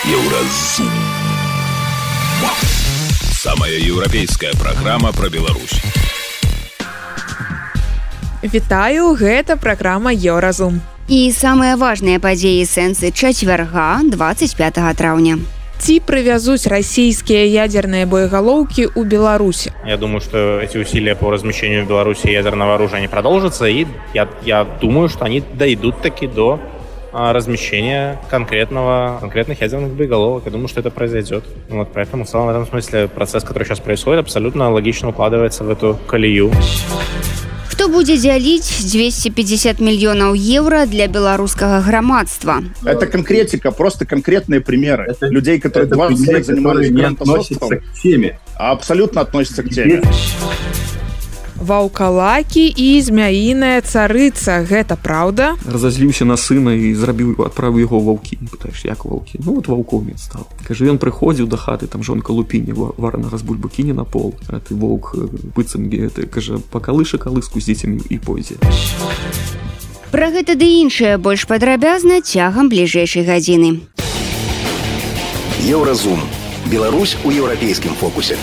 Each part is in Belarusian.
Еўразум. Самая еўрапейская праграма пра Беларусь. Вітаю, гэта праграма Еўразум. І самыя важныя падзеі сэнсы чацвярга 25 траўня. Ці прывязуць расійскія ядерные боеголовки у Беларуси? Я думаю, что эти усилия по размещению в Беларуси ядерного оружия не продолжатся, и я думаю, что они дойдут таки до размещения конкретных ядерных боеголовок. Я думаю, что это произойдет. Вот, поэтому в целом в этом смысле процесс, который сейчас происходит, абсолютно логично укладывается в эту колею. Хто будзе дзяліць 250 мільёнаў еўра для беларускага грамадства? Это конкретика, просто конкретные примеры. Людей, которые 20 лет занимались грантособством, абсолютно относятся к теме. Ваўкалакі і змяіная царыца. Гэта праўда? Разазліўся на сына і адправіў яго ваўкі. Пытаеш, як ваўкі? Ну, вот ваўком ён стаў. Кажа, ён прыходзіў да хаты, там жонка лупіне варанага з бульбы кіне на пол. А ты воўк быццам, кажа, пакалыша калыску з дзецьмі і пойдзе. Пра гэта ды іншае больш падрабязна цягам бліжэйшай гадзіны. Еўразум. Беларусь у еўрапейскім фокусе.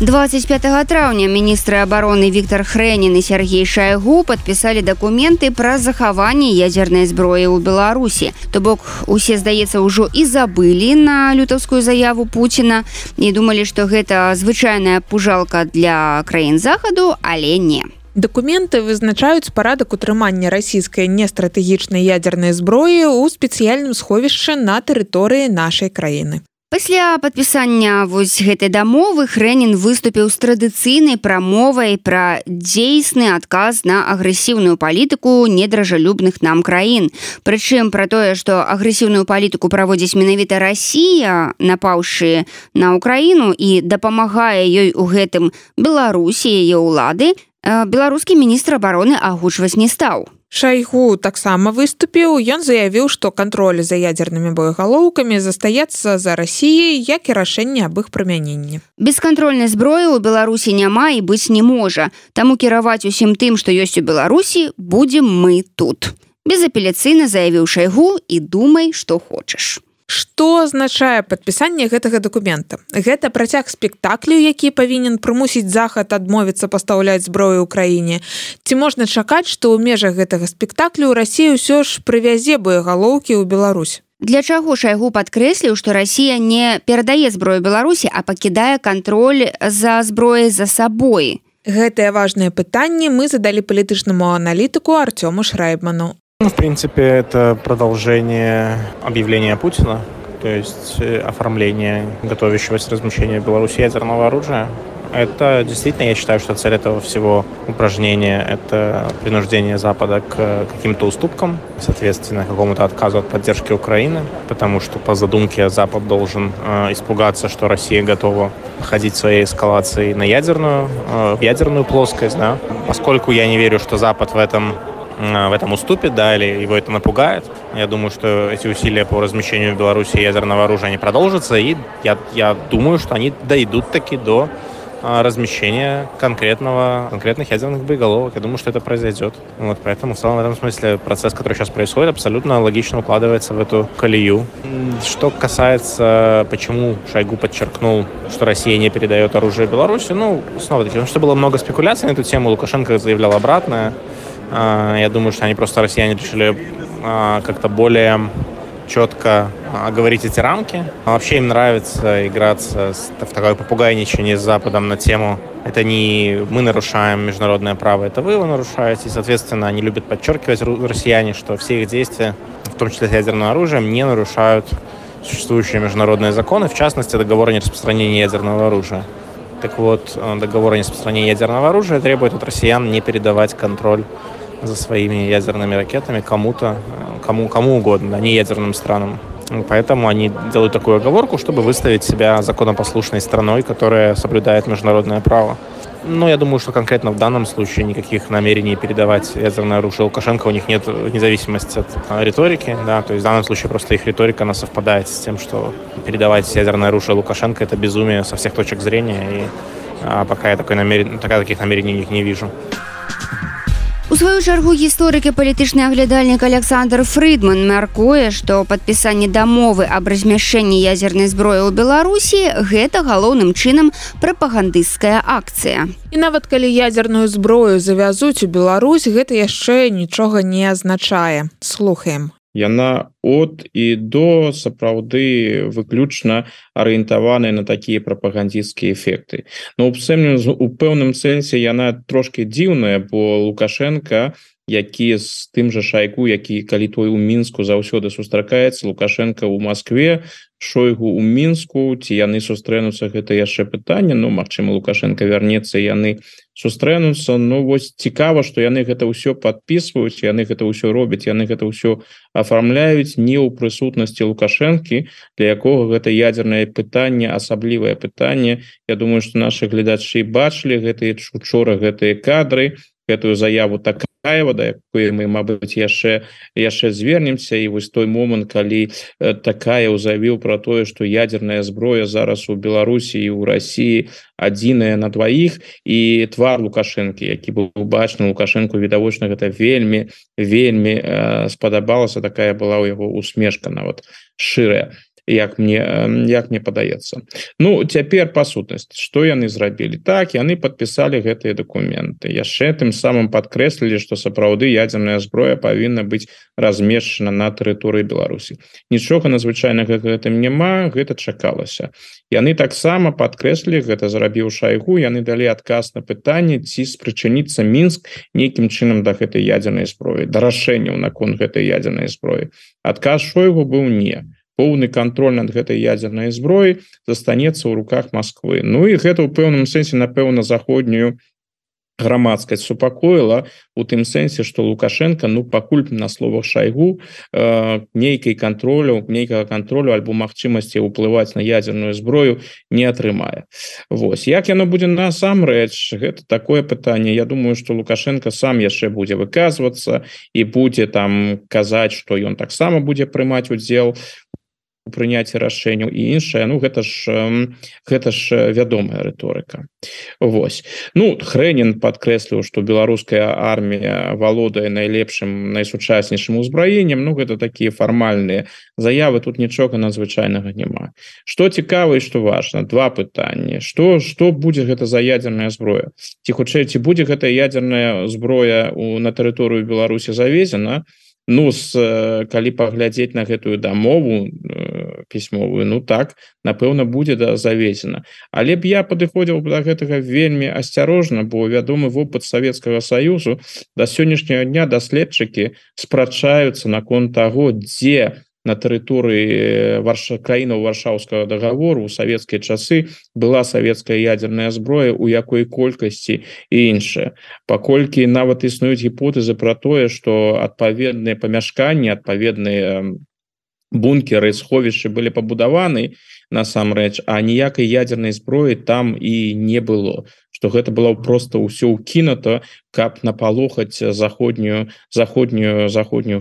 25 траўня міністры абароны Віктор Хрэнін і Сергей Шайгу падпісалі дакументы пра захаванне ядзернай зброі ў Беларусі. То бок, усе, здаецца, ўжо і забылі на лютаўскую заяву Пуціна і думалі, што гэта звычайная пужалка для краін захаду, але не. Дакументы вызначаюць парадак утрымання расійскай нестратэгічнай ядзернай зброі ў спецыяльным сховішчы на тэрыторыі нашай краіны. Пасля падпісання вось гэтай дамовы Хрэнін выступіў з традыцыйнай прамовай пра дзейсны адказ на агрэсіўную палітыку недружалюбных нам краін. Прычым пра тое, што агрэсіўную палітыку праводзіць менавіта Расія, напаўшы на Украіну і дапамагае ёй у гэтым Беларусі і яе ўлады, беларускі міністр абароны агучваць не стаў. Шайгу таксама выступіў. Ён заявіў, што кантроль за ядернымі боегалоўкамі застаецца за Расіяй, як і рашэнне аб іх прымяненні. Бескантрольнай зброі ў Беларусі няма і быць не можа. Таму кіраваць усім тым, што ёсць у Беларусі, будзем мы тут. Безапеляцыйна заявіў Шайгу і думай, што хочаш. Што азначае падпісанне гэтага дакумента? Гэта працяг спектаклю, які павінен прымусіць Захад адмовіцца пастаўляць зброю ў краіне? Ці можна чакаць, што ў межах гэтага спектаклю Расія ўсё ж прывязе боегалоўкі ў Беларусь? Для чаго Шайгу падкрэсліў, што Расія не перадае зброю Беларусі, а пакідае кантроль за зброяй за сабой? Гэтыя важныя пытанні мы задалі палітычнаму аналітыку Артёму Шрайбману. В принципе, это продолжение объявления Путина, то есть оформление готовящегося размещения в Беларуси ядерного оружия. Это действительно, я считаю, что цель этого всего упражнения – это принуждение Запада к каким-то уступкам, соответственно, какому-то отказу от поддержки Украины, потому что по задумке Запад должен испугаться, что Россия готова ходить своей эскалацией на в ядерную плоскость, да. Поскольку я не верю, что Запад в этом уступит, да, или его это напугает. Я думаю, что эти усилия по размещению в Беларуси ядерного оружия не продолжатся, и я думаю, что они дойдут таки до размещения конкретных ядерных боеголовок. Я думаю, что это произойдет. Вот, поэтому в целом в этом смысле процесс, который сейчас происходит, абсолютно логично укладывается в эту колею. Что касается, почему Шойгу подчеркнул, что Россия не передает оружие Беларуси, снова-таки, потому что было много спекуляций на эту тему, Лукашенко заявлял обратное. Я думаю, что они просто, россияне, решили как-то более четко оговорить эти рамки. Вообще им нравится играться в такое попугайничание с Западом на тему «это не мы нарушаем международное право, это вы его нарушаете». И, соответственно, они любят подчеркивать, россияне, что все их действия, в том числе с ядерным оружием, не нарушают существующие международные законы, в частности, договор о нераспространении ядерного оружия. Так вот, договор о нераспространении ядерного оружия требует от россиян не передавать контроль за своими ядерными ракетами кому угодно, а не ядерным странам. Поэтому они делают такую оговорку, чтобы выставить себя законопослушной страной, которая соблюдает международное право. Я думаю, что конкретно в данном случае никаких намерений передавать ядерное оружие Лукашенко у них нет, вне зависимости от риторики. Да, то есть в данном случае просто их риторика, она совпадает с тем, что передавать ядерное оружие Лукашенко – это безумие со всех точек зрения. И пока я таких намерений у них не вижу. У сваю чаргу гісторык і палітычны аглядальнік Александр Фрыдман мяркуе, што падпісанне дамовы аб размяшчэнні ядзернай зброі ў Беларусі гэта галоўным чынам прапагандысцкая акцыя. І нават калі ядзерную зброю завязуць у Беларусь, гэта яшчэ нічога не азначае. Слухаем. Яна от і до сапраўды выключна арыентаваная на такія прапагандысцкія эфекты. Но у пэўным сэнсе яна трошки дзіўная, бо Лукашенко, які з тым жа Шайгу, які калі той у Мінску заўсёды сустракаецца, Лукашенко ў Маскве, Шойгу ў Мінску, ці яны сустрэнуцца, гэта яшчэ пытанне, ну, магчыма, Лукашенко вярнецца, яны сустрэнуцца, ну, вось цікава, што яны гэта ўсё падпісваюць, яны гэта ўсё робяць, яны гэта ўсё афармляюць не ў прысутнасці Лукашэнкі, для якога гэта ядзернае пытанне, асаблівае пытанне. Я думаю, што нашы гледачы бачылі гэтыя учора гэтыя кадры, гэтую заяву Такаева, да якой мы, мабыць, яшчэ звернемся, і вось той момант, калі Такаев заявіў пра тое, што ядзерная зброя зараз у Беларусі і ў Расіі адзіная на дваіх, і твар Лукашэнкі, які быў бачны Лукашэнку, відавочна, гэта вельмі спадабалася, такая была ў яго усмешка нават шырая. Як мне падаецца. Ну, цяпер па сутнасці, што яны зрабілі? Так, яны падпісалі гэтыя дакументы. Яшчэ тым самым падкрэслілі, што сапраўды ядзерная зброя павінна быць размешчана на тэрыторыі Беларусі. Нічога надзвычайнага гэтым няма, гэта чакалася. Яны таксама падкрэслілі, гэта зрабіў Шайгу, яны далі адказ на пытанне, ці спрычыніцца Мінск нейкім чынам да гэтай ядзернай зброі, да рашэнняў наконт гэтай ядзернай зброі. Адказ Шойгу быў не. Поўны кантроль над гэтай ядзернай зброяй застанецца ў руках Масквы. Ну і гэта ў пэўным сэнсе, напэўна, заходнюю грамадскасць супакоіла у тым сэнсе, што Лукашенко, ну, пакуль на словах Шайгу нейкага кантролю альбо магчымасці ўплываць на ядзерную зброю не атрымае. Вось. Як яно будзе насамрэч, гэта такое пытанне. Я думаю, што Лукашенко сам яшчэ будзе выказвацца і будзе там казаць, што ён таксама будзе прымаць удзел у прыняцці рашэнняў і іншае. Ну, гэта ж вядомая рыторыка. Вось. Ну, Хрэнін падкрэсліў, што беларуская армія валодае найлепшым, найсучаснейшым узбраеннем. Ну, гэта такія фармальныя заявы, тут нічога надзвычайнага няма. Што цікава і што важна? Два пытанні. Што будзе гэта за ядзерная зброя? Ці хутчэй, ці будзе гэта ядзерная зброя на тэрыторыю Беларусі завезена? Ну, калі паглядзець на гэтую дамову пісьмовую, ну так, напэўна, будзе завезена. Але б я падыходзіў да гэтага вельмі асцярожна, бо вядомы вопыт Савецкага Саюзу, да сённяшняга дня даследчыкі спрачаюцца наконт таго, дзе на тэрыторыі краінаў Варшаўскага дагавору ў савецкія часы была савецкая ядзерная зброя, у якой колькасці і іншае. Паколькі нават існуюць гіпотэзы пра тое, што адпаведныя памяшканні, адпаведныя бункеры, сховішчы былі пабудаваны насамрэч, а ніякай ядзернай зброі там і не было. Што гэта было проста ўсё ўкінута, каб напалохаць заходнюю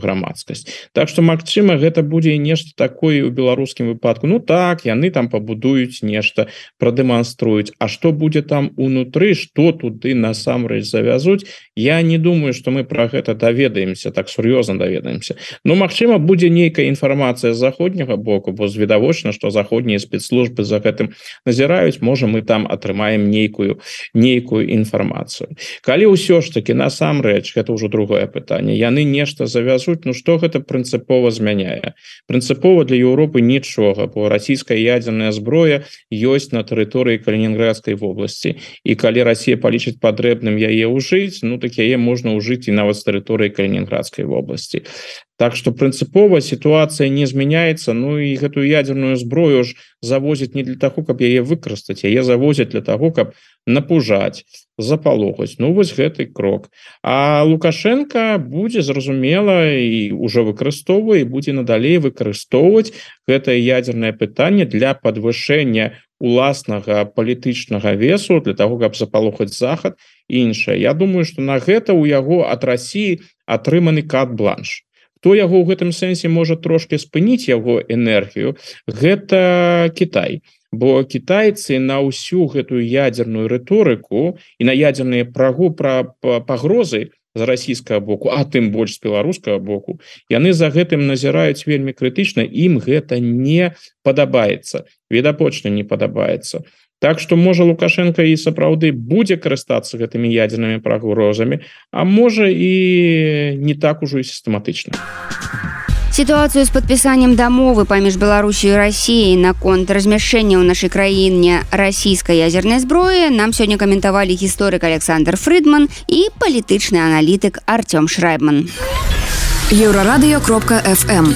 грамадскасць. Так што, магчыма, гэта будзе нешта такое ў беларускім выпадку. Ну так, яны там пабудуюць нешта, прадэманструюць. А што будзе там унутры, што туды насамрэч завязуць, я не думаю, што мы пра гэта даведаемся, так сур'ёзна даведаемся. Ну, магчыма, будзе нейкая інфармацыя з заходняга боку, бо відавочна, што заходнія спецслужбы за гэтым назіраюць, можа, мы там атрымаем нейкую інфармацыю. Калі ўсё ж таки насамрэч, гэта ўжо другое пытанне, яны нешта завязуць, ну што гэта прынцыпова змяняе? Прынцыпова для Еўропы нічога, бо расійская ядзерная зброя ёсць на тэрыторыі Калінінградскай вобласці, і калі Расія палічыць патрэбным яе ўжыць, ну так яе можна ўжыць і нават з тэрыторыі Калінінградскай вобласці. Так што прынцыпова сітуацыя не змяняецца, ну і гэтую ядзерную зброю ж завозяць не для таго, каб яе выкарыстаць, яе завозяць для таго, каб напужаць, запалохаць. Ну вось гэты крок. А Лукашенко будзе, зразумела, і ўжо выкарыстоўвае, і будзе надалей выкарыстоўваць гэтае ядзернае пытанне для падвышэння уласнага палітычнага весу, для таго, каб запалохаць Захад і іншае. Я думаю, што на гэта ў яго ад Расіі атрыманы карт-бланш. Хто яго ў гэтым сэнсе можа трошки спыніць яго энергію, гэта Кітай. Бо кітайцы на ўсю гэтую ядзерную рыторыку і на ядзерныя пагрозы з расійскага боку, а тым больш з беларускага боку, яны за гэтым назіраюць вельмі крытычна, ім гэта не падабаецца, відавочна не падабаецца. Так што можа Лукашенко і сапраўды будзе карыстацца гэтымі ядзернымі пагрозамі, а можа і не так ужо і сістэматычна. Сітуацыю з падпісаннем дамовы паміж Беларусью і Расіяй наконт размяшчэння ў нашай краіне расійскай ядзернай зброі нам сёння каментавалі гісторык Александр Фрыдман і палітычны аналітык Артём Шрайбман. Еўрарадыё.фм.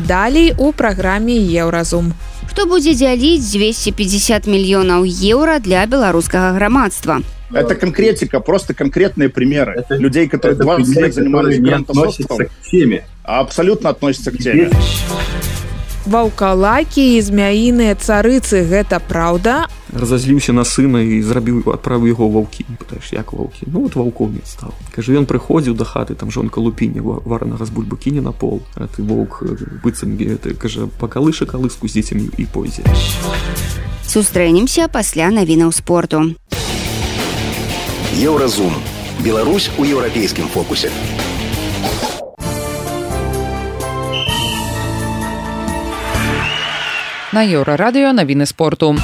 Далей у праграме Еўразум. Што будзе дзяліць 250 мільёнаў еўра для беларускага грамадства? Это конкретика, просто конкретные примеры людей, которые 20 лет занимались грантособством, а абсолютно относятся к теме. Ваўкалакі і змяіныя царыцы, гэта праўда? Разазліўся на сына і адправіў яго ваўкі. Пытаеш, як ваўкі? Ну, вот ваўком стаў. Кажа, ён прыходзіў да хаты, там жонка лупіння варанага з бульбы кіне на пол, а ты воўк быццам, кажа, пакалыша калыску з дзецьмі і пойдзе. Сустрэнемся пасля навінаў спорту. Еўразум. Беларусь у еўрапейскім фокусе. На Еўрарадыё навіны спорту.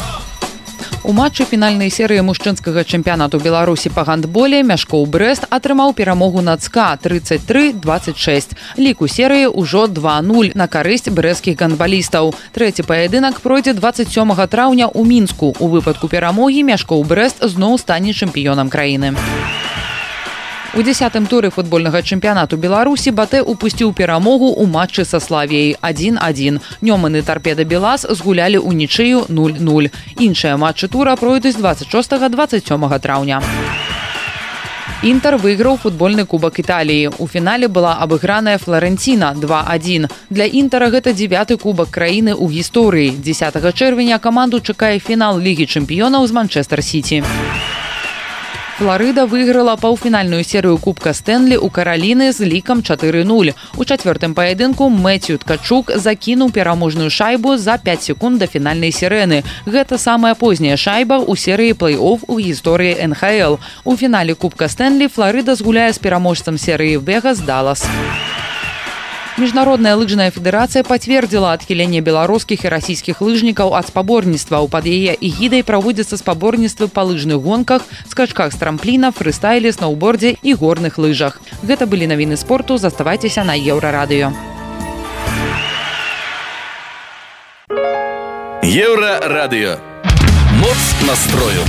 У матчы фінальнай серыі мужчынскага чэмпіянату Беларусі па гандболе Мяшкоў Брэст атрымаў перамогу над СКА 33-26. Лік у серыі ўжо 2-0 на карысць брэсцкіх гандбалістаў. Трэці паядынак пройдзе 27 траўня ў Мінску. У выпадку перамогі Мяшкоў Брэст зноў стане чэмпіёнам краіны. У 10-м туры футбольнага чэмпіянату Беларусі Батэ упусціў перамогу ў матчы са Славіяй 1-1. Нёман і Тарпеда Белас згулялі ў нічыю 0-0. Іншыя матчы тура пройдуць 26-27 траўня. Інтер выйграў футбольны кубак Італіі. У фінале была абыграная Флоренціна 2-1. Для Інтера гэта 9-й кубак краіны ў гісторыі. 10 чэрвеня каманду чакае фінал Лігі чэмпіёнаў з Манчэстэр-Сіці. Флорыда выйграла паўфінальную серыю кубка Стэнлі ў Караліны з лікам 4-0. У чацвёртым паядынку Мэцью Ткачук закінуў пераможную шайбу за 5 секунд да фінальнай сірэны. Гэта самая позняя шайба ў серыі плэй-офф у гісторыі НХЛ. У фінале кубка Стэнлі Флорыда згуляе з пераможцам серыі Вегас Даллас. Міжнародная лыжная федэрацыя пацвердзіла адхіленне беларускіх і расійскіх лыжнікаў ад спаборніцтваў. Пад яе эгідай праводзяцца спаборніцтвы па лыжных гонках, скачках з трампліна, фрыстайле, сноўбордзе і горных лыжах. Гэта былі навіны спорту. Заставайцеся на Еўрарадыё. Еўрарадыё. Моц настрою.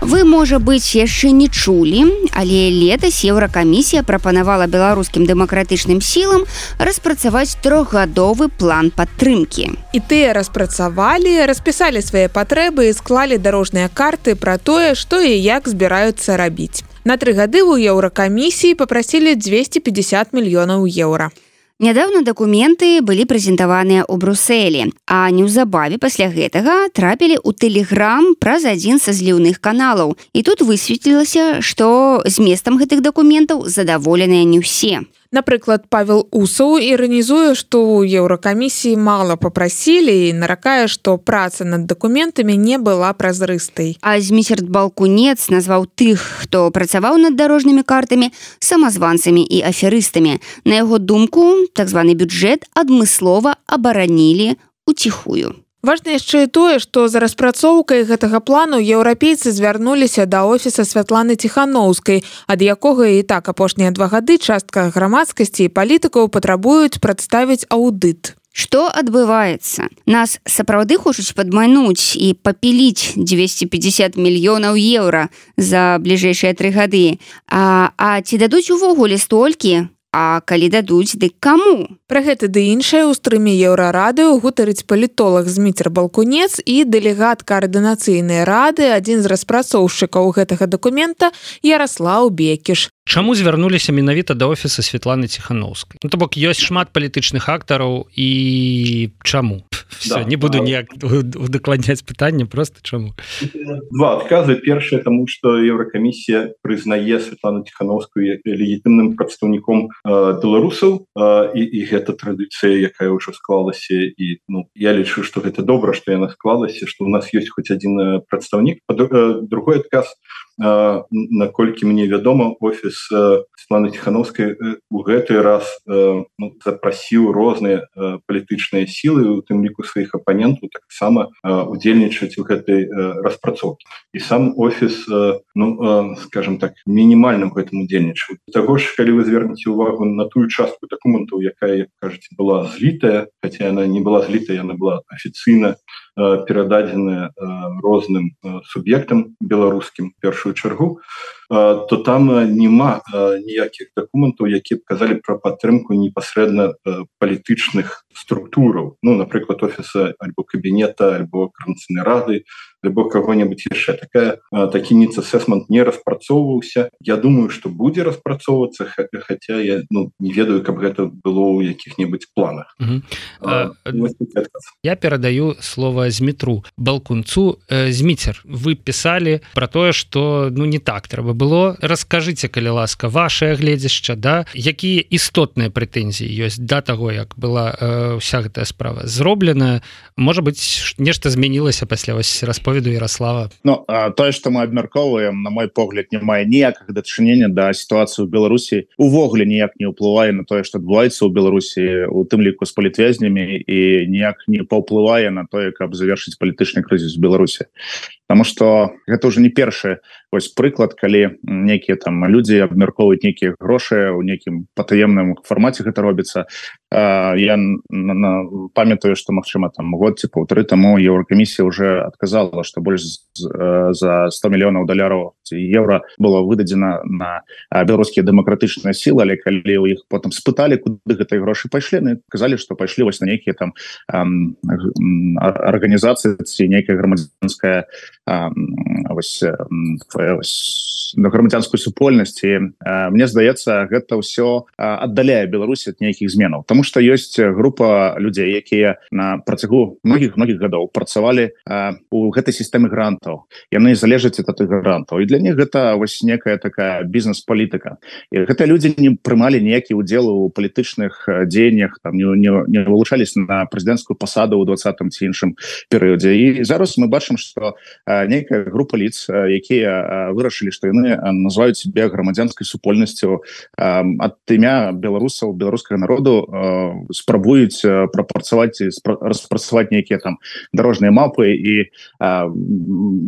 Вы, можа быць, яшчэ не чулі, але летась Еўракамісія прапанавала беларускім дэмакратычным сілам распрацаваць 3-гадовы план падтрымкі. І тыя распрацавалі, распісалі свае патрэбы і склалі дарожныя карты пра тое, што і як збіраюцца рабіць. На 3 гады ў Еўракамісіі папрасілі 250 мільёнаў еўра. Нядаўна дакументы былі прэзентаваныя ў Брусэлі, а неўзабаве пасля гэтага трапілі ў Тэлеграм праз адзін са зліўных каналаў. І тут высветлілася, што зместам гэтых дакументаў задаволеныя не ўсе. Напрыклад, Павел Усаў іранізуе, што ў Еўракамісіі мала папрасілі і наракае, што праца над дакументамі не была празрыстай. А Зміцер Балкунец назваў тых, хто працаваў над дарожнымі картамі, самазванцамі і аферыстамі. На яго думку, так званы бюджэт адмыслова абаранілі уціхую. Важна яшчэ і тое, што за распрацоўкай гэтага плану еўрапейцы звярнуліся да офіса Святланы Ціханоўскай, ад якога і так апошнія 2 гады частка грамадскасці і палітыкаў патрабуюць прадставіць аўдыт. Што адбываецца? Нас сапраўды хочуць падмануць і папіліць 250 мільёнаў еўра за бліжэйшыя 3 гады. А ці дадуць увогуле столькі? А калі дадуць, дык каму? Пра гэта ды іншае ў стрыме Еўрарадыё гутарыць палітолог Зміцер Балкунец і дэлегат каардынацыйнай рады, адзін з распрацоўшчыкаў гэтага дакумента Яраслаў Бекіш. Чаму звярнуліся менавіта да офіса Светланы Ціхановскай? Ну, то бок ёсць шмат палітычных актараў і чаму? Все, не буду ніяк удакладняць пытанне, просто чаму? Два адказы. Першае, таму што Еўракамісія прызнае Светлану Ціхановскую легітымным прадстаўніком беларусаў, і гэта традыцыя, якая ўжо склалася, і я лічу, што гэта добра, што яна склалася, што ў нас ёсць хоць адзін прадстаўнік. Другой адказ, наколькі мне вядома, офіс Светланы Ціхановскай у гэты раз запрасіў розныя палітычныя сілы, у тым ліку сваіх апанентаў, таксама удзельнічаць у гэтай распрацоўкі. І сам офіс, скажем так, мінімальна ў гэтым удзельнічаў. Таго ж, калі вы звернеце ўвагу на тую частку дакументаў, якая, як кажаце, была злітая, хаця яна не была злітая, яна была афіцыйна перададзеная розным суб'ектам беларускім, першую чаргу, то там няма ніякіх дакументаў, якія б казалі пра падтрымку непасрэдна палітычных структураў. Напрыклад, офіса альбо кабінета, альбо Координаційнай рады, альбо каго-небудзь яшчэ. Такі needs assessment не распрацоўваўся. Я думаю, што будзе распрацоўвацца, хаця я не ведаю, каб гэта было ў якіх-небудзь планах. Я перадаю слово Змітру Балкунцу. Зміцер, вы пісалі пра тое, што не так трэба было. Раскажыце, калі ласка, вашае гледзішча, якія істотныя прэтэнзіі ёсць да таго, як была ўся гэтая справа зроблена. Можа быць, нешта змянілася пасля расповеду Ярослава? Тое, што мы абмяркоўваем, на мой погляд, не мае ніякага дачынення да сітуацыі ў Беларусі. Увогуле ніяк не ўплывае на тое, што адбываецца ў Беларусі, у тым ліку з палітвязнямі, і ніяк не паўплывае на тое, каб завершыць палітычны крызіс у Беларусі. Таму што гэта ўжо не першы прыклад, калі нейкія там людзі абмяркоўваюць нейкія грошы ў нейкім патаемным фармаце гэта робіцца. Я памятаю, што, магчыма, год ці паўтары таму Еўракамісія ўжо адказала, што больш за 100 мільёнаў даляраў ці еўра было выдадзена на беларускія дэмакратычныя сілы, але калі ў іх потым спыталі, куды гэтыя грошы пайшлі, яны казалі, што пайшлі на нейкія там арганізацыі ці нейкая грамадзянская грамадзянскую супольнасць. Мне здаецца, гэта ўсё аддаляе Беларусь ад нейкіх зменаў, таму што ёсць група людзей, якія на працягу многіх гадоў працавалі у гэтай сістэме грантаў. Яны залежаць ад тых грантаў, і для них гэта некая такая бізнес-палітыка. І гэтыя людзі не прымалі ніякі удзел у палітычных дзеяннях, не вылучались на прэзідэнцкую пасаду ў 20-м ці іншым перыядзе. І зараз мы бачым, што нейкая група лиц, якія вырашылі, што яны называюць себе грамадзянскай супольнасцю, ад імя беларусаў, беларускага народу спрабуюць прапрацаваць і распрацаваць нейкія там дарожныя мапы і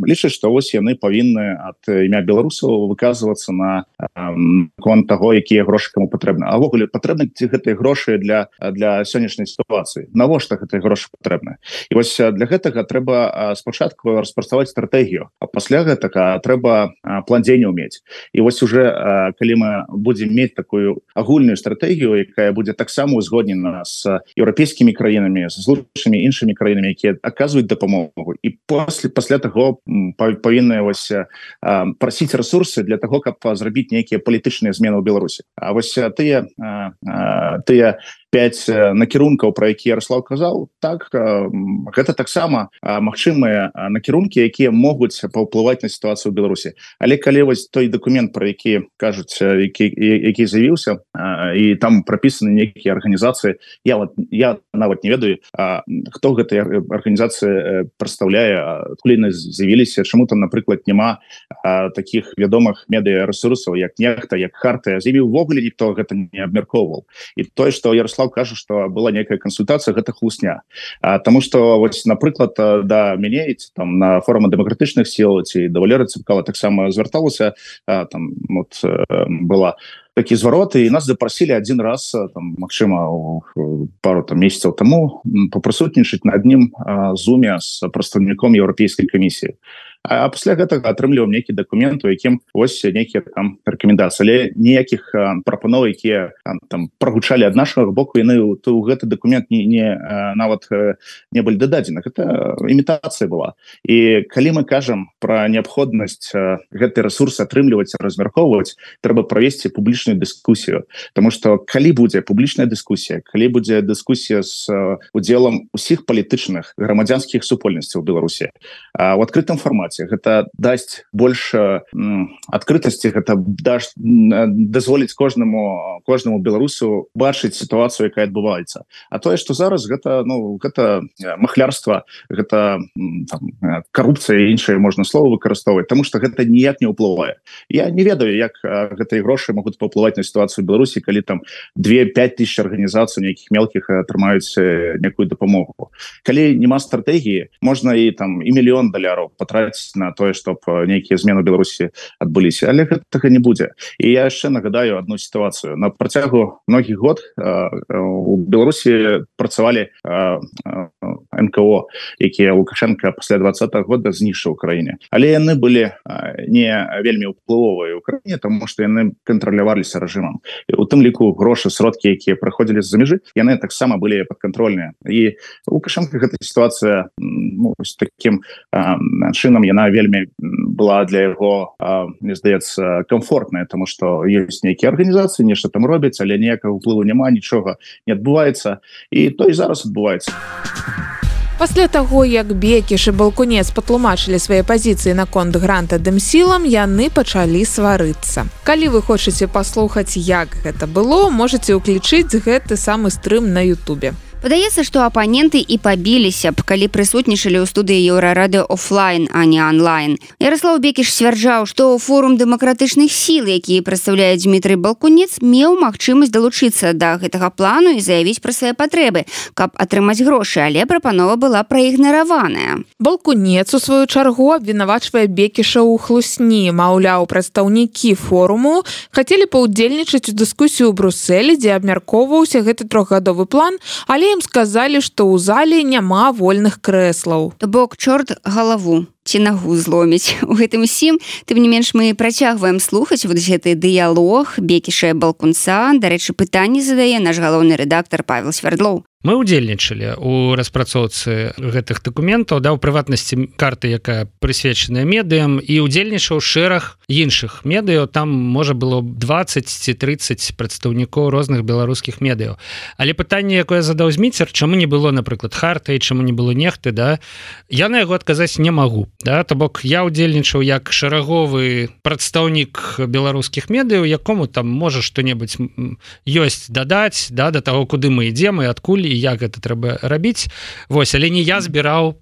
лічаць, што вось яны павінны ад імя беларусаў выказвацца на конт таго, якія грошы каму патрэбны. А ввогуле патрэбны гэтыя грошы для сённяшняй сітуацыі. Навошта гэтыя грошы патрэбны? І вось для гэтага трэба спачатку распрацаваць стратэгію, а пасля гэтага трэба план дзеянняў мець. І вось уже калі мы будзем мець такую агульную стратэгію, якая будзе таксама узгоднена з еўрапейскімі краінамі, з лучшымі іншымі краінамі, якія аказваюць дапамогу, і пасля таго павінны прасіць рэсурсы для таго, каб зрабіць нейкія палітычныя змены ў Беларусі. А вось тыя 5 накірункаў, пра які Ярослав казаў, так, гэта таксама магчымыя накірункі, якія могуць паўплываць на сітуацыю ў Беларусі. Але калі вось той дакумент, пра які кажуць, які з'явіўся, і там прапісаны нейкія арганізацыі, я нават не ведаю, хто гэтыя арганізацыі прадстаўляе, адкуль яны з'явіліся, чаму там, напрыклад, няма такіх вядомых медыа-рэсурсаў, як Нехта, як Хартыя. З'явіў увогуле ніхто гэта не абмяркоўваў. І тое, што Ярослав кажа, што была нейкая кансультацыя, гэта хлусня. Таму што, вось, напрыклад, да мяне там на форуме дэмакратычных сіл ці да Валеры Цыпкала таксама звярталася, там была такі зварот, і нас запрасілі адзін раз, магчыма, пару месяцаў таму, папрысутнічаць на адным зуме з прадстаўніком Еўрапейскай камісіі. а пасля гэтага атрымліваў нейкі дакумент, у якім вось нейкія там рэкамендацыі, але ніякіх прапаноў, якія там прагучалі ад нашага боку, яны ў гэты дакумент нават не былі дададзены. Гэта імітацыя была. І калі мы кажам пра неабходнасць гэты рэсурс атрымліваць, размяркоўваць, трэба правесці публічную дыскусію. Таму што калі будзе публічная дыскусія, калі будзе дыскусія з удзелам усіх палітычных грамадзянскіх супольнасцяў у Беларусі у адкрытым фармаце, гэта дасць больш адкрытасці, гэта дазволіць кожнаму беларусу бачыць сітуацыю, якая адбываецца. А тое, што зараз гэта махлярства, гэта карупцыя і іншыя можна слова выкарыстоўваць, таму што гэта ніяк не ўплывае. Я не ведаю, як гэтыя грошы могуць паўплываць на сітуацыю ў Беларусі, калі там 2-5 тысяч арганізацый нейкіх мелкіх атрымаюць некую дапамогу. Калі няма стратэгіі, можна і $1 мільён патраціць на тое, чтоб нейкія змены ў Беларусі адбыліся, але гэтага не будзе. І я яшчэ нагадаю одну сітуацыю. На працягу многіх год у Беларусі працавалі НКО, якія Лукашенко пасля 20-го года знішчыў у краіне. Але яны былі не вельмі ўплывовыя ў краіне, тому што яны кантраляваліся рэжымам. І у тым ліку грошы, сродкі, якія прыходзілі з-за мяжы, яны таксама былі падкантрольныя. І Лукашенко гэта сітуацыя такім чынам яна вельмі была для яго, мне здаецца, комфортная, тому што ёсць нейкія арганізацыі, нешта там робяць, але ніякага ўплыву няма, нічога не адбываецца, і то і зараз адбываецца. Пасля таго, як Бекіш і Балкунец патлумачылі свае пазіцыі наконт гранта дэмсілам, яны пачалі сварыцца. Калі вы хочаце паслухаць, як гэта было, можаце ўключыць гэты самы стрым на Ютубе. Падаецца, што апаненты і пабіліся б, калі прысутнічалі ў студыі Еўрарадыё офлайн, а не онлайн. Ярослаў Бекіш сцвярджаў, што форум дэмакратычных сіл, які прадстаўляе Дмітрый Балкунец, меў магчымасць далучыцца да гэтага плану і заявіць пра свае патрэбы, каб атрымаць грошы, але прапанова была праігнараваная. Балкунец, у сваю чаргу, абвінавачвае Бекіша ў хлусні. Маўляў, прадстаўнікі форуму хацелі паўдзельнічаць у дыскусію ў Брусэлі, дзе абмяркоўваўся гэты 3-гадовы план, але ім сказалі, што ў зале няма вольных крэслаў. То бок чорт галаву ці нагу зломіць. У гэтым усім, тым не менш, мы працягваем слухаць гэты дыялог Бекіша і Балкунца. Дарэчы, пытанні задае наш галоўны рэдактар Павел Свердлоў. Мы ўдзельнічалі ў распрацоўцы гэтых дакументаў, у прыватнасці карты, якая прысвечаная медыям, і ўдзельнічаў шэраг іншых медыяў. Там можа было 20 ці 30 прадстаўнікоў розных беларускіх медыяў. Але пытанне, якое задаў Зміцер, чаму не было, напрыклад, харты, чаму не было нехты, я на яго адказаць не магу. То бок я ўдзельнічаў як шэраговы прадстаўнік беларускіх медыяў, якому там можа што-небудзь ёсць дадаць да таго, куды мы ідзем і адкуль і як гэта трэба рабіць. Вось, але не я збіраў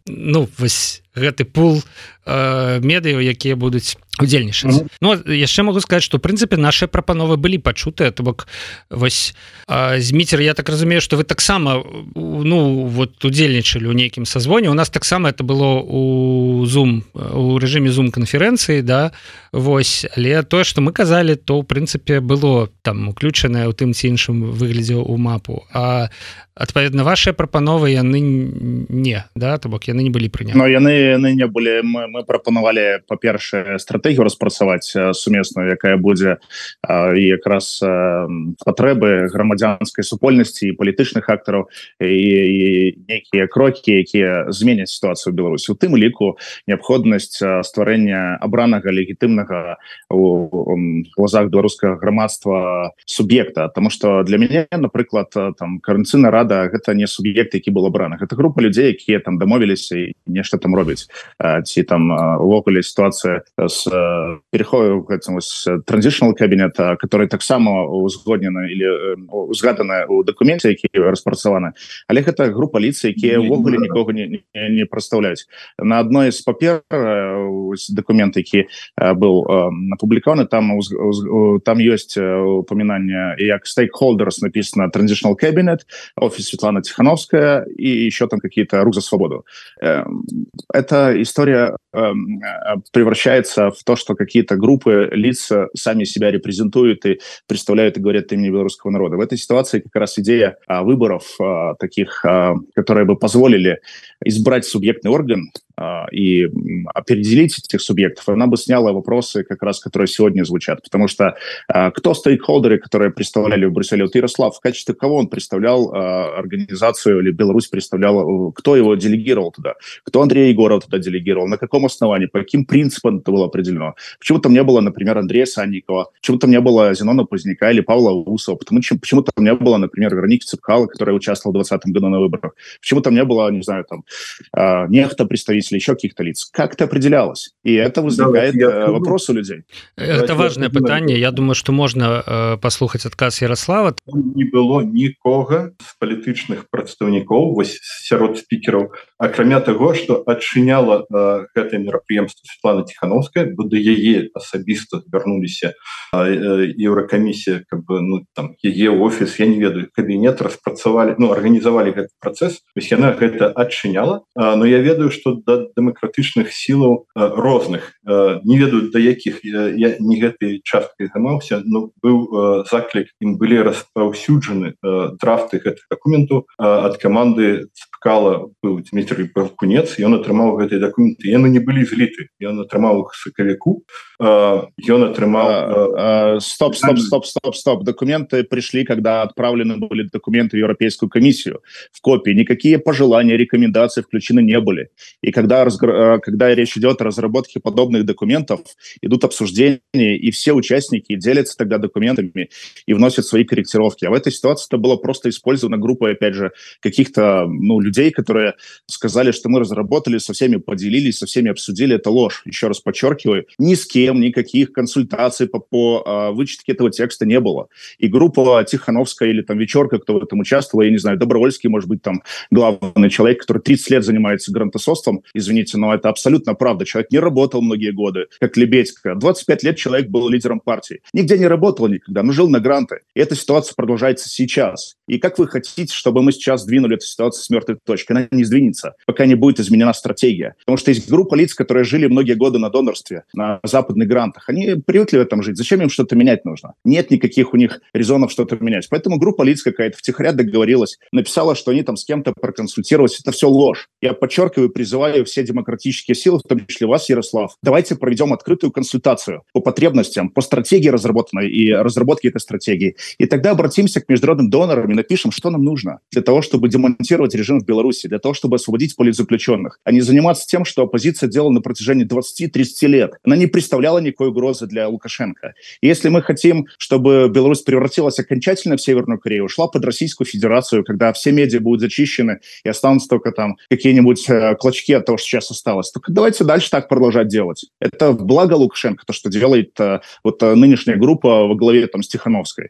гэты пул медыяў, якія будуць удзельнічаць. Яшчэ могу сказаць, што, в прынцыпе, нашыя прапановы былі пачутыя. То бок, вось, Зміцер, я так разумею, што вы таксама удзельнічалі ў нейкім сазвоне. У нас таксама это было у рэжыме Zoom-канферэнцыі, вось, але тое, што мы казалі, то, в прынцыпе, было там уключанае ў тым ці іншым выглядзе ў мапу. А адпаведна, вашыя прапановы яны не, то бок яны не былі прыняты. Но яны не былі. Мы прапанавалі, па-першае, стратэгію распрацаваць сумесную, якая будзе і якраз патрэбы грамадзянскай супольнасці і палітычных актараў і нейкія крокі, якія зменяць сітуацыю ў Беларусі. У тым ліку неабходнасць стварэння абранага легітымнага у глазах беларускага грамадства суб'екта. Таму што для мяне, напрыклад, Коордынацыйная рада гэта не суб'ект, які был абраны. Гэта група людзей, якія там дамовіліся і нешта там робяць. Ці там увогуле сітуацыя з пераходу транзішнл кабінета, который таксама узгоднена или узгадана ў дакуменце, які распрацаваны. Але гэта група лиц, якія увогуле нікога не прадстаўляюць. На адной з папер дакумент, які быў апублікаваны, там ёсць упоминание, як stakeholders написано Transitional Cabinet, офис Светлана Тихановская и еще там какие-то рух за свободу. Эта история превращается в то, что какие-то группы лиц сами себя репрезентуют и представляют и говорят от имени белорусского народа. В этой ситуации как раз идея выборов таких, которые бы позволили избрать субъектный орган, и определить этих субъектов, она бы сняла вопросы, как раз, которые сегодня звучат. Потому что кто стейкхолдеры, которые представляли в Брюсселе? Вот Ярослав, в качестве кого он представлял организацию, или Беларусь представляла, кто его делегировал туда? Кто Андрея Егорова туда делегировал? На каком основании? По каким принципам это было определено? Почему там не было, например, Андрея Санникова? Почему там не было Зенона Поздняка или Павла Усова? Почему там не было, например, Вероники Цепкало, которая участвовала в 2020 году на выборах? Почему там не было, не знаю, там, нехто представителей, еще каких-то лиц? Как это определялось? И это возникает вопрос у людей. Это важное питание. Я думаю, что можно послухать отказ Ярослава. Не было никого з палітычных прадстаўнікоў сярод спікераў, акрамя таго, што адчыняла гэтае мерапрыемства Светлана Тихановская, бо да яе асабіста звярнуліся Еўракамісія, яе офіс, я не ведаю, кабінет распрацавалі, арганізавалі гэты працэс, вось яна гэта адчыняла, но я ведаю, што да дэмакратычных сілаў розных, не ведаю да якіх, я не гэтай часткай займаўся, но быў заклік, ім былі распаўсюджаны драфты гэтых дакументаў ад каманды Цепкала, быў Дмітрый Балкунец, ён атрымаў гэтыя дакументы, яны не былі зліты, ён атрымаў іх сакавіку, ён атрымаў... Стоп. Документы пришли, когда отправлены были документы в Европейскую комиссию в копии. Никакие пожелания, рекомендации включены не были. И когда речь идет о разработке подобных документов, идут обсуждения, и все участники делятся тогда документами и вносят свои корректировки. А в этой ситуации это было просто использовано группой, опять же, каких-то людей, которые сказали, что мы разработали, со всеми поделились, со всеми обсудили. Это ложь. Еще раз подчеркиваю, ни с кем никаких консультаций по вычетке этого текста не было. И группа Тихановская или там Вечерка, кто в этом участвовал, я не знаю, Добровольский, может быть, там главный человек, который 30 лет занимается грантосоством, извините, но это абсолютно правда. Человек не работал многие годы, как Лебедько. 25 лет человек был лидером партии. Нигде не работал никогда, но жил на гранты. И эта ситуация продолжается сейчас. И как вы хотите, чтобы мы сейчас сдвинули эту ситуацию с мертвой точки? Она не сдвинется, пока не будет изменена стратегия. Потому что есть группа лиц, которые жили многие годы на донорстве, на западных грантах. Они привыкли в этом жить. Зачем им что-то менять нужно? Нет никаких у них резонов что-то менять. Поэтому группа лиц какая-то втихаря договорилась, написала, что они там с кем-то проконсультировались. Это все ложь. Я подчеркиваю, призываю все демократические силы, в том числе вас, Ярослав, давайте проведем открытую консультацию по потребностям, по стратегии разработанной и разработке этой стратегии. И тогда обратимся к международным донорам и напишем, что нам нужно для того, чтобы демонтировать режим в Беларуси, для того, чтобы освободить политзаключенных, а не заниматься тем, что оппозиция делала на протяжении 20-30 лет. Она не представляла никакой угрозы для Лукашенко. И если мы хотим, чтобы Беларусь превратилась окончательно в Северную Корею, ушла под Российскую Федерацию, когда все медиа будут зачищены и останутся только там какие-нибудь клочки от того, что сейчас осталось, только давайте дальше так продолжать делать. Это благо Лукашенко, то, что делает нынешняя группа во главе там с Тихановской.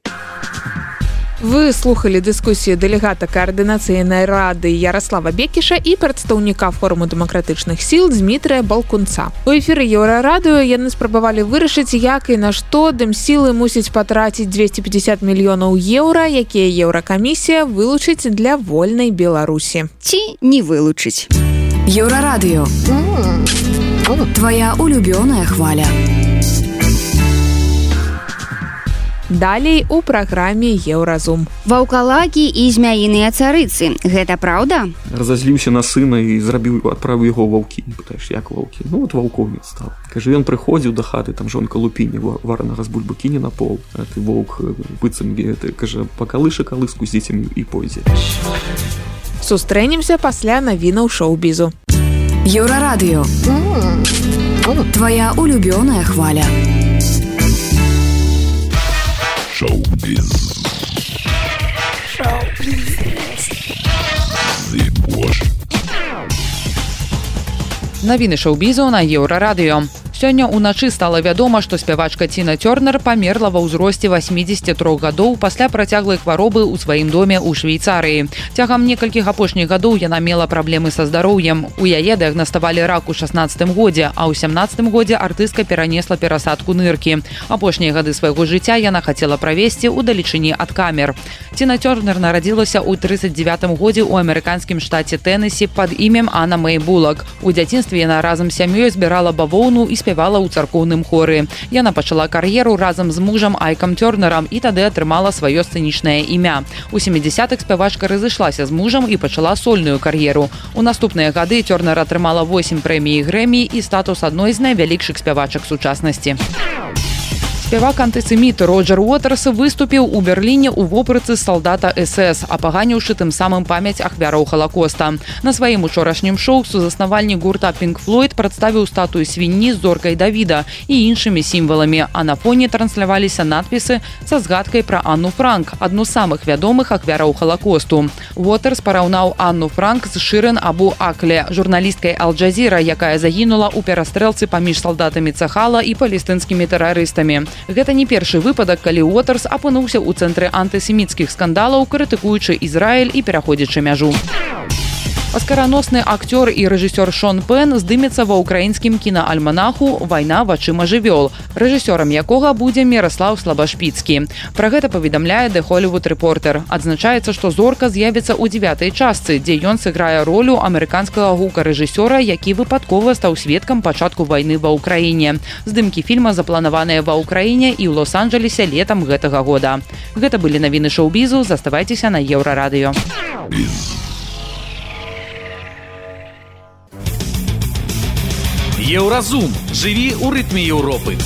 Вы слухали дыскусію дэлегата каардынацыйнай рады Ярослава Бекіша і прадстаўніка форуму дэмакратычных сіл Дмітрыя Балкунца. У эфіры Еўрарадыё яны спрабавалі вырашыць, як і на што дэмсілы мусіць патраціць 250 мільёнаў еўра, якія Еўракамісія вылучыць для вольнай Беларусі. Ці не вылучыць. Еўрарадыё. Твоя улюбёная хваля. Далей у праграме Еўразум. Ваўкалакі і змяіныя царыцы. Гэта праўда? Разазліўся на сына і адправіў яго ваўкі. Пытаеш, як ваўкі? Ну, вот ваўком стаў. Кажа, ён прыходзіў да хаты, там жонка лупіння варанага з бульбы кіне на пол. А ты воўк быццам, кажа, пакалыша калыску з дзецьмі і пойдзе. Сустрэнемся пасля навінаў шоу-бізу. Еўрарадыё. Твоя улюбёная хваля. Шоу-біз. Навіны шоу-бізу на Еўрарадыё. Сёння ўначы стала вядома, што спявачкаЦіна Тёрнер памерла ва ўзросце 83 гадоў пасля працяглай хваробы ў сваім доме ў Швейцарыі. Цягам некалькіх апошніх гадоў яна мела праблемы са здароўем. У яе дыягнаставалі рак у 16 годзе, а ў 17 годзе артыстка перанесла перасадку ныркі. Апошнія гады свайго жыцця яна хацела правесці ў далечыні ад камер.Ціна Тёрнер нарадзілася ў 39 годзе ў амерыканскім штаце Тэннесі пад імем Анна Мэй Булак. У дзяцінстве яна разам з сям'ёй збірала бавоўну і спявала спявала ў царкоўным хоры. Яна пачала кар'еру разам з мужам Айкам Тёрнерам і тады атрымала сваё сцэнічнае імя. У 70-х спявачка разышлася з мужам і пачала сольную кар'еру. У наступныя гады Тёрнер атрымала 8 прэмій Грэмі і статус адной з найвялікшых спявачак сучаснасці. Спявак антысеміт Роджер Уотерс выступіў у Берліне ў вопратцы салдата СС, апаганіўшы тым самым памяць ахвяраў Халакоста. На сваім учорашнім шоу сузаснавальнік гурта Pink Floyd прадставіў статую свінні з зоркай Давіда і іншымі сімваламі, а на фоне трансляваліся надпісы са згадкай пра Анну Франк, адну з самых вядомых ахвяраў Халакосту. Уотерс параўнаў Анну Франк з Шырен Абу Акле, журналісткай Ал-Джазіра, якая загінула ў перастрэлцы паміж салдатамі Цахала і палестынскімі тэрарыстамі. Гэта не першы выпадак, калі Уотерс апынуўся ў цэнтры антысеміцкіх скандалаў, крытыкуючы Ізраіль і пераходзячы мяжу. Аскараносны акцёр і рэжысёр Шон Пен здымецца ва ўкраінскім кінаальманаху «Вайна вачыма жывёл», рэжысёрам якога будзе Міраслаў Слабашпіцкі. Пра гэта паведамляе The Hollywood Reporter. Адзначаецца, што зорка з'явіцца ў 9-й частцы, дзе ён сыграе ролю амерыканскага гукарэжысёра, які выпадкова стаў сведкам пачатку вайны ва ўкраіне. Здымкі фільма запланаваныя ва ўкраіне і ў Лос-Анджелесе летам гэтага года. Гэта былі навіны шоу-бізу, заставайцеся на Еўрарадыё. Еўразум. Жыві ў рытме Еўропы.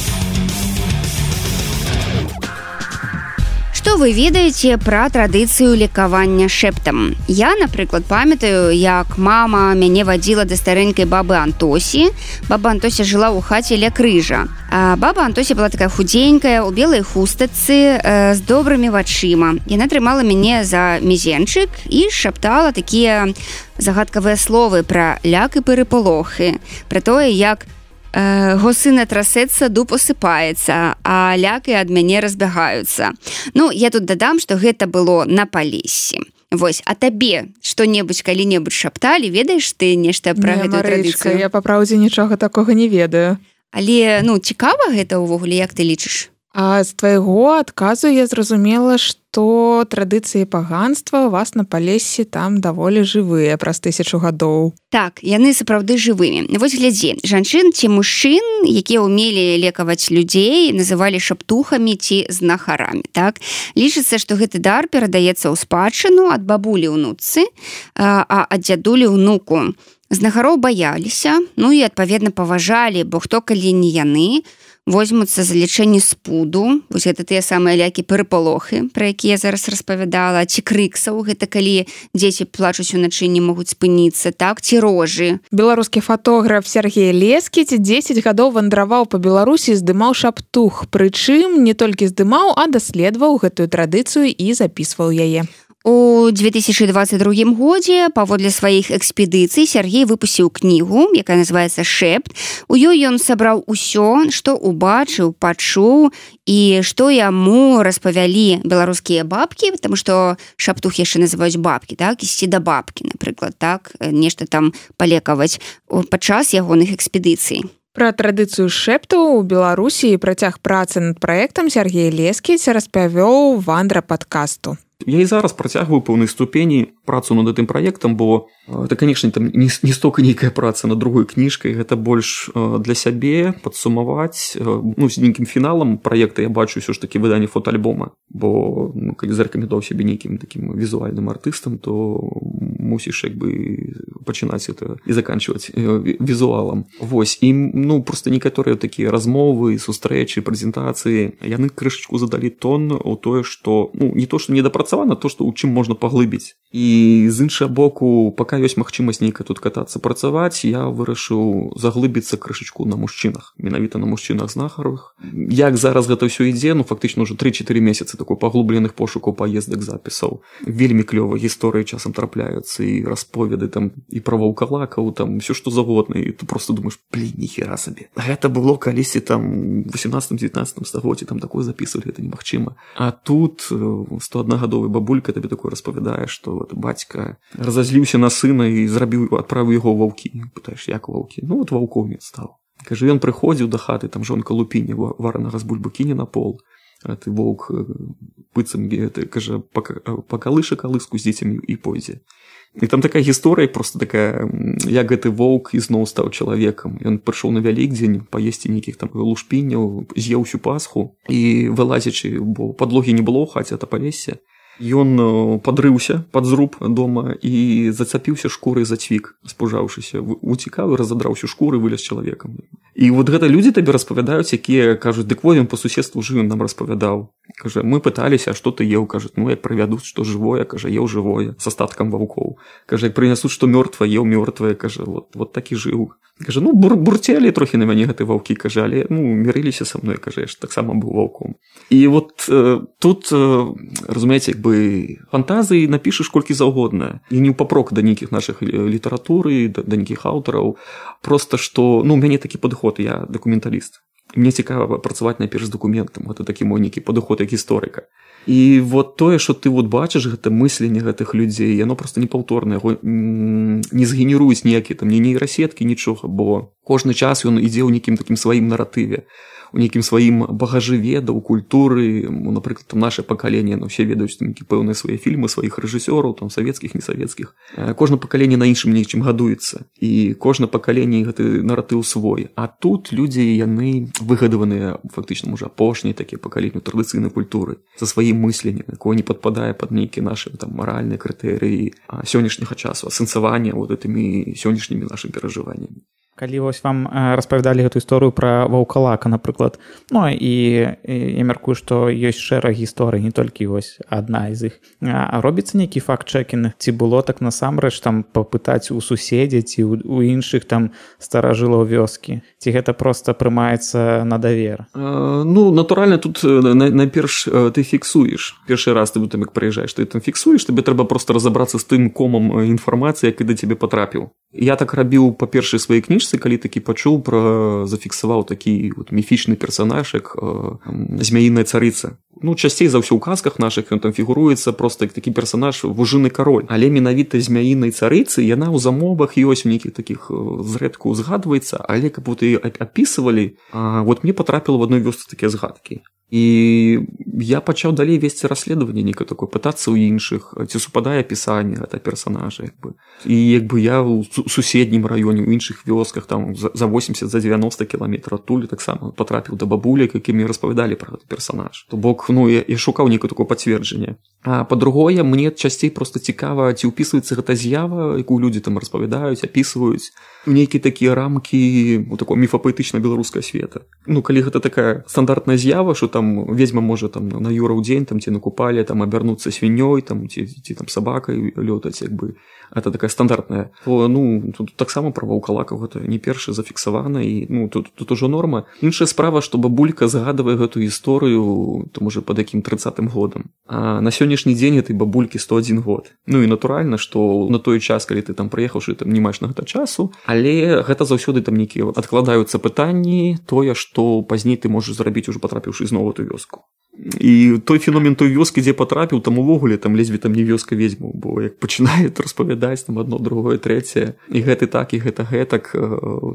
Што вы ведаеце пра традыцыю лекавання шэптам? Я, напрыклад, памятаю, як мама мяне вадзіла да старэнькай бабы Антосі. Баба Антося жыла ў хаце ля крыжа. А баба Антося была такая худзенькая, у белай хустачцы, з добрымі вачыма. Яна трымала мяне за мізенчык і шаптала такія загадкавыя словы пра ляк і перапалохі, пра тое, як госына трасецца, дуб осыпаецца, а лякі ад мяне разбягаюцца. Ну, я тут дадам, што гэта было на Палессі. Вось, а табе што-небудзь калі-небудзь шапталі, ведаеш ты нешта пра гэтую традыцыю? Я па праўдзе нічога такога не ведаю. Але, ну, цікава гэта ўвогуле, як ты лічыш? А з твайго адказу я зразумела, што традыцыі паганства у вас на Палессі там даволі жывыя праз 1000 гадоў. Так, яны сапраўды жывымі. Вось глядзі, жанчын ці мужчын, якія ўмелі лекаваць людзей, называлі шаптухамі ці знахарамі. Так? Лічыцца, што гэты дар перадаецца ў спадчыну ад бабулі ўнуцы, а ад дзядулі ўнуку. Знахароў баяліся, ну і адпаведна паважалі, бо хто калі не яны, возьмуцца за лячэнне спуду, вось гэта тыя самыя лякі перапалохі, пра якія я зараз распавядала, ці крыксаў, гэта калі дзеці плачуць уначы, не могуць спыніцца, так, ці рожы. Беларускі фотограф Сергей Лескіць 10 гадоў вандраваў па Беларусі, здымаў шаптух, прычым не толькі здымаў, а даследаваў гэтую традыцыю і запісваў яе. У 2022 годзе паводле сваіх экспедыцый Сергей выпусціў кнігу, якая называецца «Шэпт». У ёй ён сабраў усё, што убачыў, пачуў і што яму распавялі беларускія бабкі, потому што шаптух яшчэ называюць бабкі, так, ісці да бабкі, напрыклад, так, нешта там палекаваць падчас ягоных экспедыцый. Пра традыцыю шэптаў у Беларусі і працяг працы над праектам Сергей Лескіць распавёў вандра падкасту. Я і зараз працягваю пэўнай ступені працу над гэтым праектам, бо это, конечно, там не столько нейкая праца над другой кніжкай, гэта больш для сябе падсумаваць, ну, з нейкім фіналам праекта я бачу ўсё ж такі выданне фотоальбома, бо ну, калі зарэкамендаваў сябе нейкім такім візуальным артыстам, то мусіш як бы пачынаць это і заканчваць візуалам. Вось, і ну, проста некаторыя такія размовы, сустрэчы, прэзентацыі, яны крышачку задалі тон у тое, што, ну, не то, што недапрацавана, то, што ў чым можна паглыбіць. І з іншага боку, пака ёсць магчымасць нейкая тут катацца, працаваць, я вырашыў заглыбіцца крышачку на мужчынах, менавіта на мужчынах-знахарах. Як зараз гэта ўсё ідзе, ну, фактычна ўжо 3-4 месяцы такой паглубленых пошукаў, паездак, запісаў. Вельмі клёва гісторыі часам трапляюцца, і расповеды там, і пра ваўкалакаў, там, ўсё што завгодна, і ты просто думаеш, блин, ніхера сабе. Гэта было калісьці там 18-19 стагоддзі, там такое запісвалі, гэта немагчыма. А тут 101-гадовая бабулька табе такое распавядае, што вот бацька разазліўся на сына і адправіў яго ў ваўкі. Пытаеш, як ваўкі? Ну, вот ваўкоўнец стаў. Кажа, ён прыходзіў да хаты, там жонка лупіння варанага з бульбы кіне на пол. ты воўк быццам кажа пакалыша калыску з дзецьмі і пойдзе. І там такая гісторыя просто такая, як гэты воўк ізноў стаў чалавекам. Ён прыйшоў на Вялікдзень паесці нейкіх там лушпінняў, з'еў усю пасху і вылазячы, бо падлогі не было ў хаце, а палесе, ён падрыўся пад зруб дома і зацапіўся шкурай за цвік, спужаўшыся, уцікаў і разадраў усю шкуру і вылез чалавекам. І вот гэта людзі табе распавядаюць, якія кажуць, дык во ён па суседству жыў, нам распавядаў. Кажа, мы пыталіся, а што ты еў? Кажа, ну як прывядуць, што жывое, кажа, еў жывое, с астаткам ваўкоў. Кажа, як прынясуць, што мёртвае, еў мёртвае, кажа, вот так і жыў. Кажа, ну бурцелі трохі на мяне гэты ваўкі, кажа, але мірыліся са мной, кажа, я ж таксама быў ваўком. І вот тут, разумееце, як бы фантазіі напішаш колькі заўгодна. І не ў папрок да нейкіх нашых літаратуры, да нейкіх аўтараў. Просто што, у мяне такі падыход, я дакументаліст. Мне цікава працаваць найперш з дакументам, гэта такі мой нейкі падыход як гісторыка. І вот тое, што ты вот бачыш, гэта мысленне гэтых людзей, яно просто непаўторнае, яго не згенеруюць ніякія там ні нейрасеткі, нічога, бо кожны час ён ідзе ў нейкім такім сваім наратыве, у нейкім сваім багажы ведаў, культуры, напрыклад, там наше пакаленне, все ведаюць нейкія пэўныя свае фільмы, сваіх рэжысёраў, там савецкіх, несавецкіх. Кожна пакаленне на іншым нечым гадуецца, і кожна пакаленне гэты наратыў свой. А тут людзі, яны выгадаваныя, фактычна, можа, апошнія такія пакаленні традыцыйнай культуры, за сваім мысленнем, якое не падпадае пад нейкія нашы там маральныя крытэрыі сённяшняга часу, асэнсавання вот гэтымі сённяшнімі нашымі перажываннямі. Калі вось вам распавядалі гэту гісторыю пра ваўкалака, напрыклад, ну і я мяркую, што ёсць шэраг гісторый, не толькі вось адна з іх. А робіцца нейкі факт-чэкінг, ці было так насамрэч там папытаць у суседзяў ці у іншых там старажылаў вёскі, ці гэта проста прымаецца на давер? Ну, натуральна, тут найперш ты фіксуеш. Першы раз ты там як прыязджаеш, ты там фіксуеш, табе трэба проста разабрацца з тым комам інфармацыі, які да цябе потрапіў. Я так рабіў па першай сваёй кніжцы, калі такі пачуў зафіксаваў такі вот міфічны персанаж, як змяіная царыца. Ну, часцей за ўсё ў казках нашых ён там фігуруецца просто як такі персанаж вужыны кароль. Але менавіта змяінай царыцы яна ў замовах ёсць у нейкіх такіх зрэдку згадваецца, але каб вот і апісывалі, вот мне потрапіла в адной вёсцы такія згадкі. І я пачаў далей весці расследаванне нейкае такое, пытацца ў іншых, ці супадае апісанне гэта персанажа, як бы. І як бы я ў суседнім раёне, у іншых вёсках там за 80, за 90 кіламетраў адтуль таксама потрапіў да бабулек, які мне распавядалі пра гэты персанаж. То бок, ну, я шукаў нейкае такое пацверджанне. А па-другое, мне часцей просто цікава, ці ўпісваецца гэта з'ява, якую людзі там распавядаюць, апісваюць у нейкія такія рамкі у такого міфапаэтычна-беларускага света. Ну, калі гэта такая стандартная з'ява, што там ведьма можа там на юраў дзень там ці на купале там абярнуцца свінёй там ці там сабакай лётаць, як бы это такая стандартная, то ну тут таксама пра ваўкалакаў гэта не першы зафіксавана, і ну тут ужо норма. Іншая справа, што бабулька загадвае гэту гісторыю то можа пад якім 30-м годам, а на сённяшні дзень этой бабулькі 101 год. Ну і натуральна, што на той час, калі ты там прыехаўшы, там не маеш на гэта часу, але гэта заўсёды там нейкія адкладаюцца пытанні, тое, што пазней ты можаш зрабіць ужо патрапіўшы зноў у ту вёску. І той феномен той вёскі, дзе патрапіў, там увогуле там ледзьве там не вёска ведьму, бо як пачынае распавядаць там адно, другое, трэцяе, і гэты так, і гэта гэтак,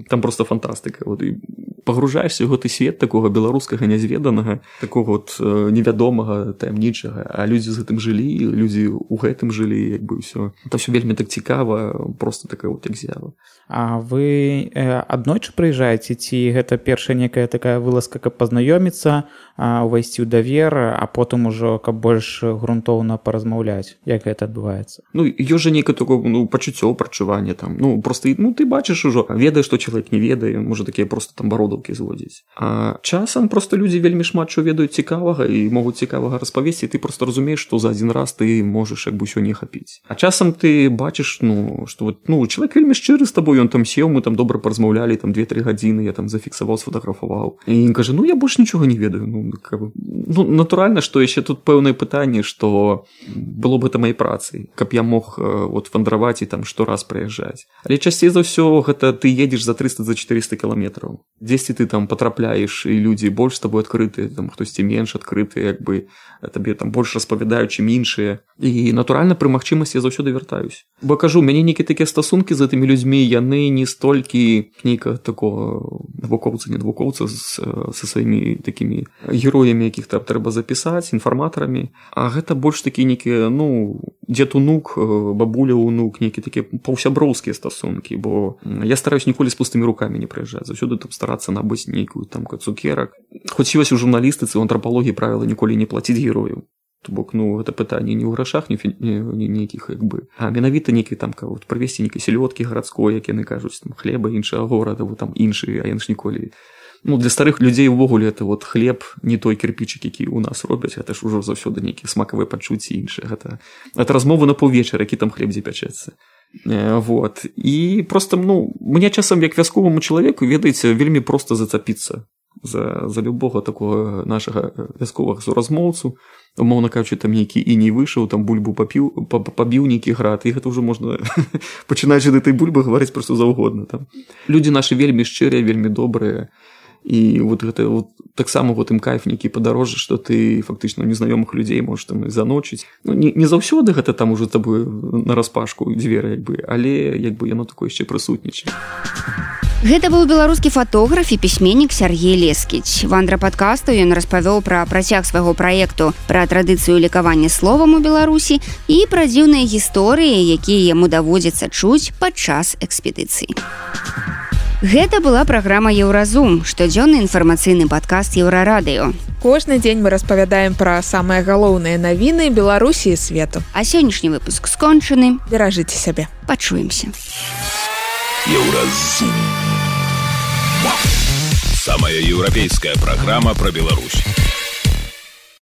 там просто фантастыка. Вот, і пагружаешся ў гэты свет такога беларускага нязведанага, такога вот невядомага, таямнічага, а людзі з гэтым жылі, людзі ў гэтым жылі, як бы ўсё. Это ўсё вельмі так цікава, просто такая вот як з'ява. А вы аднойчы прыязджаеце, ці гэта першая некая такая вылазка, каб пазнаёміцца, увайсці ў давер, а потым ужо каб больш грунтоўна паразмаўляць? Як гэта адбываецца? Ну, ёсць жа нейкае такое, ну, пачуццё, прадчуванне там. Ну, просто, ну, ты бачыш ужо, ведаеш, што чалавек не ведае, можа такія просто там бародаўкі зводзіць. А часам просто людзі вельмі шмат што ведаюць цікавага і могуць цікавага распавесці, і ты просто разумееш, што за адзін раз ты можаш як бы ўсё не ахапіць. А часам ты бачыш, ну, што вот, ну, чалавек вельмі шчыры з табой, ён там сеў, мы там добра паразмаўлялі, там 2-3 гадзіны, я там зафіксаваў, сфотаграфаваў. І ён кажа, ну, я больш нічога не ведаю. Ну, натуральна, што яшчэ тут пэўнае пытанне, што было б гэта маёй працай, каб я мог вот вандраваць і там штораз прыязджаць. Але часцей за ўсё гэта ты едзеш за 300, за 400 кіламетраў. Дзесьці ты там патрапляеш, і людзі больш з табой адкрыты, там хтосьці менш адкрыты, як бы табе там больш распавядаюць, чым іншыя. І натуральна пры магчымасці я заўсёды вяртаюсь. Бо кажу, мяне нейкія такія стасункі з гэтымі людзьмі, яны не столькі нейка такого навукоўца, не навукоўца са сваімі такімі героямі якіх-то трэба запісаць інфарматарамі. А гэта больш такі нейкі, ну, дзед унук, бабуля унук, нейкі такія паўсяброўскія стасункі, бо я стараюсь ніколі з пустымі рукамі не прыязджаць, заўсёды там старацца набыць нейкую там цукерак. Хоць ёсць у журналістыцы, у антрапалогіі правіла ніколі не плаціць герояў. То бок, ну, гэта пытанне не ў грашах, не нейкіх, як бы, а менавіта нейкі там, вот, прывесці нейкай сялёдкі гарадской, як яны кажуць, там, хлеба іншага горада, вот, там, іншы, а яны ж ніколі. Ну, для старых людзей увогуле это вот хлеб, не той кірпічык, які ў нас робяць, гэта ж ужо заўсёды нейкія смакавыя пачуцці іншыя. Гэта размова на паўвечара, які там хлеб дзе пячэцца. Вот. І просто, ну, мне часам, як вясковаму чалавеку, ведаеце, вельмі проста зацапіцца за любого такого нашага вясковага суразмоўцу. Умоўна кажучы, там нейкі і не выйшаў, там бульбу пабіў нейкі град, і гэта ўжо можна пачынаючы да этой бульбы гаварыць проста заўгодна. Там людзі нашы вельмі шчырыя, вельмі добрыя. І вот гэта вот таксама вот ім кайф нейкі падарожжа, што ты фактычна незнаёмых людзей можаш там заночыць. Ну, не заўсёды гэта там ужо табою нараспашку дзверы, як бы, але як бы яно такое яшчэ прысутнічае. Гэта быў беларускі фатограф і пісьменнік Сергей Лескіч. Вандра падкасту ён распавёў пра працяг свайго праекту, пра традыцыю лекавання словам у Беларусі і пра дзіўныя гісторыі, якія яму даводзіцца чуць падчас экспедыцыі. Гэта была праграма Еўразум, штодзённы інфармацыйны падкаст Еўрарадыё. Кожны дзень мы распавядаем пра самыя галоўныя навіны Беларусі і свету. А сённяшні выпуск скончаны. Беражыце сябе. Пачуемся. Еўразум. Самая еўрапейская программа про Беларусь.